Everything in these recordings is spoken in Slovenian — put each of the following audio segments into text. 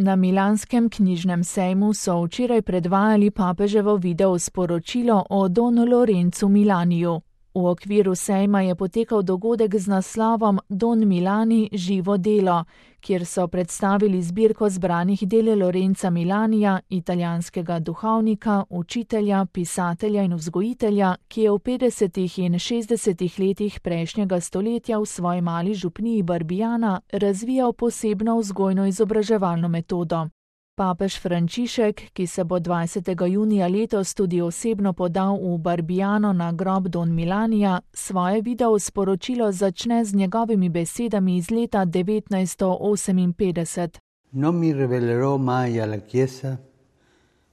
Na milanskem knjižnem sejmu so včeraj predvajali papeževo video sporočilo o Don Lorenzu Milaniju. V okviru sejma je potekal dogodek z naslovom Don Milani živo delo, kjer so predstavili zbirko zbranih del Lorenza Milanija, italijanskega duhovnika, učitelja, pisatelja in vzgojitelja, ki je v 50. in 60. letih prejšnjega stoletja v svoji mali župniji Barbiana razvijal posebno vzgojno-izobraževalno metodo. Papež Frančišek, ki se bo 20. junija letos tudi osebno podal v Barbiano na grob Don Milanija, svoje video sporočilo začne z njegovimi besedami iz leta 1958. Non mi rivelerò mai alla Chiesa,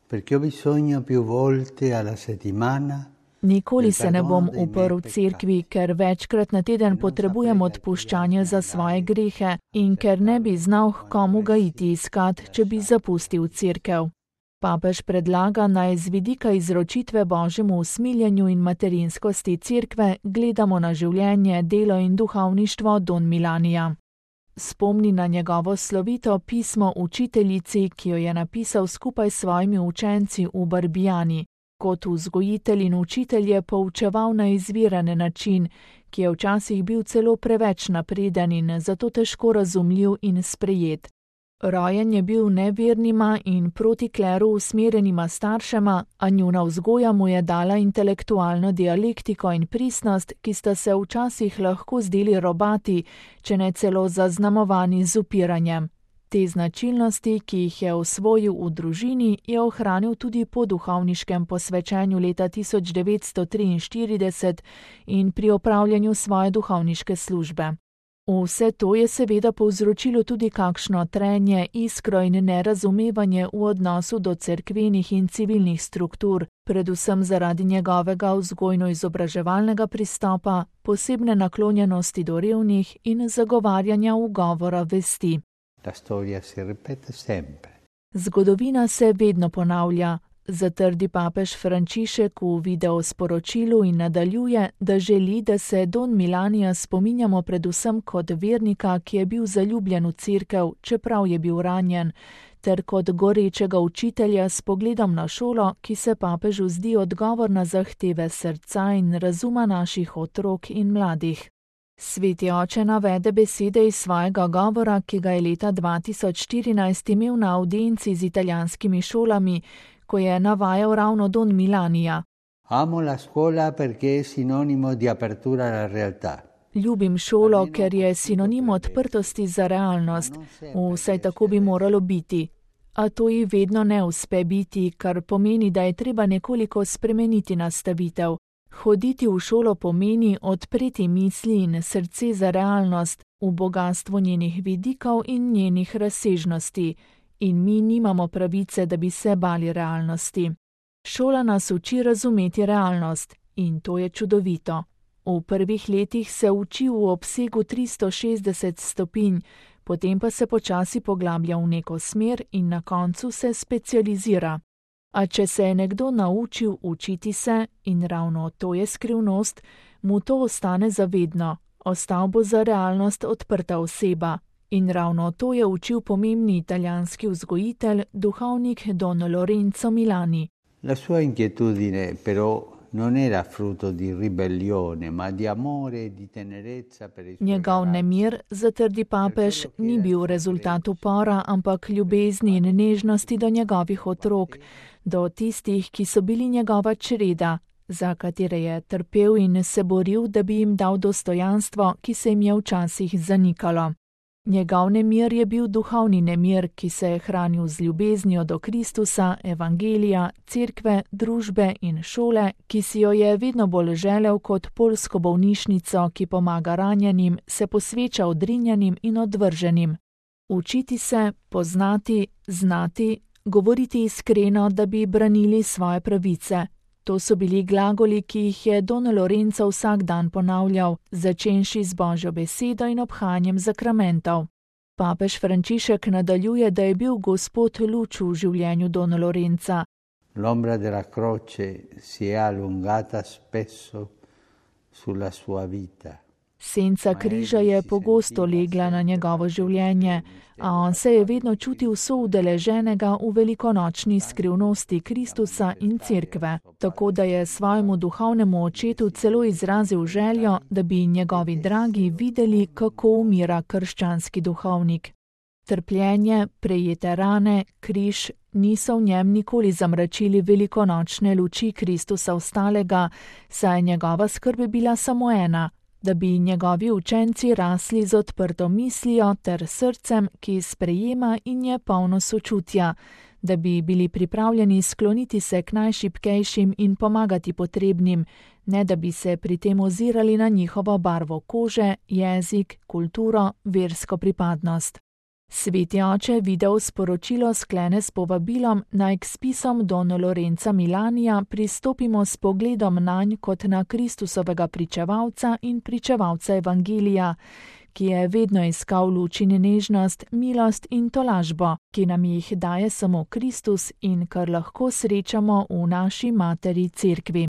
perché ho bisogno più volte alla settimana. Nikoli se ne bom uprl cerkvi, ker večkrat na teden potrebujem odpuščanje za svoje grehe in ker ne bi znal, komu ga iti iskat, če bi zapustil cerkev. Papež predlaga, naj z vidika izročitve Božjemu usmiljenju in materinskosti cerkve gledamo na življenje, delo in duhovništvo Don Milanija. Spomni na njegovo slovito pismo učiteljici, ki jo je napisal skupaj s svojimi učenci v Barbiani. Kot vzgojitelj in učitelj je poučeval na izviren način, ki je včasih bil celo preveč napreden in zato težko razumljiv in sprejet. Rojen je bil nevernima in proti kleru usmerjenima staršema, a njuna vzgoja mu je dala intelektualno dialektiko in pristnost, ki sta se včasih lahko zdeli robati, če ne celo zaznamovani z upiranjem. Te značilnosti, ki jih je osvojil v družini, je ohranil tudi po duhovniškem posvečenju leta 1943 in pri opravljanju svoje duhovniške službe. Vse to je seveda povzročilo tudi kakšno trenje, iskro in nerazumevanje v odnosu do cerkvenih in civilnih struktur, predvsem zaradi njegovega vzgojno-izobraževalnega pristopa, posebne naklonjenosti do revnih in zagovarjanja ugovora vesti. La storia si ripete sempre. Zgodovina se vedno ponavlja, zatrdi papež Frančišek v video sporočilu in nadaljuje, da želi, da se Don Milanija spominjamo predvsem kot vernika, ki je bil zaljubljen v cerkev, čeprav je bil ranjen, ter kot gorečega učitelja s pogledom na šolo, ki se papežu zdi odgovor na zahteve srca in razuma naših otrok in mladih. Sveti oče navede besede iz svojega govora, ki ga je leta 2014 imel na audienci z italijanskimi šolami, ko je navajal ravno Don Milanija. Amo la scuola perché è sinonimo di apertura alla realtà. Ljubim šolo, ker je sinonim odprtosti za realnost. Vsaj tako bi moralo biti. A to ji vedno ne uspe biti, kar pomeni, da je treba nekoliko spremeniti nastavitev. Hoditi v šolo pomeni odpreti misli in srce za realnost, v bogatstvo njenih vidikov in njenih razsežnosti. In mi nimamo pravice, da bi se bali realnosti. Šola nas uči razumeti realnost in to je čudovito. V prvih letih se uči v obsegu 360 stopinj, potem pa se počasi poglablja v neko smer in na koncu se specializira. A če se je nekdo naučil učiti se, in ravno to je skrivnost, mu to ostane zavedno, ostal bo za realnost odprta oseba. In ravno to je učil pomembni italijanski vzgojitelj, duhovnik Don Lorenzo Milani. La sua inquietudine però non era frutto di ribellione, ma di amore e di tenerezza per i suoi Njegov ragazzi. nemir, zatrdi papež, ni bil rezultat upora, ampak ljubezni in nežnosti do njegovih otrok, do tistih, ki so bili njegova čreda, za katere je trpel in se boril, da bi jim dal dostojanstvo, ki se jim je včasih zanikalo. Njegov nemir je bil duhovni nemir, ki se je hranil z ljubeznijo do Kristusa, evangelija, cerkve, družbe in šole, ki si jo je vedno bolj želel kot poljsko bolnišnico, ki pomaga ranjenim, se posveča odrinjenim in odvrženim. Učiti se, poznati, znati, govoriti iskreno, da bi branili svoje pravice. To so bili glagoli, ki jih je Don Lorenzo vsak dan ponavljal, začenši z Božjo besedo in obhajanjem zakramentov. Papež Frančišek nadaljuje, da je bil Gospod luč v življenju Don Lorenza. L'ombra della croce si è allungata spesso sulla sua vita. Senca križa je pogosto legla na njegovo življenje, a on se je vedno čutil soudeleženega v velikonočni skrivnosti Kristusa in Cerkve, tako da je svojemu duhovnemu očetu celo izrazil željo, da bi njegovi dragi videli, kako umira krščanski duhovnik. Trpljenje, prejete rane, križ niso v njem nikoli zamračili velikonočne luči Kristusa vstalega, saj je njegova skrb bila samo ena, da bi njegovi učenci rasli z odprto mislijo ter srcem, ki sprejema in je polno sočutja, da bi bili pripravljeni skloniti se k najšibkejšim in pomagati potrebnim, ne da bi se pri tem ozirali na njihovo barvo kože, jezik, kulturo, versko pripadnost. Sveti oče video sporočilo sklene s povabilom, naj k spisom Don Lorenza Milanija pristopimo s pogledom nanj kot na Kristusovega pričevalca in pričevalca Evangelija, ki je vedno iskal luč in nežnost, milost in tolažbo, ki nam jih daje samo Kristus in kar lahko srečamo v naši materi Cerkvi.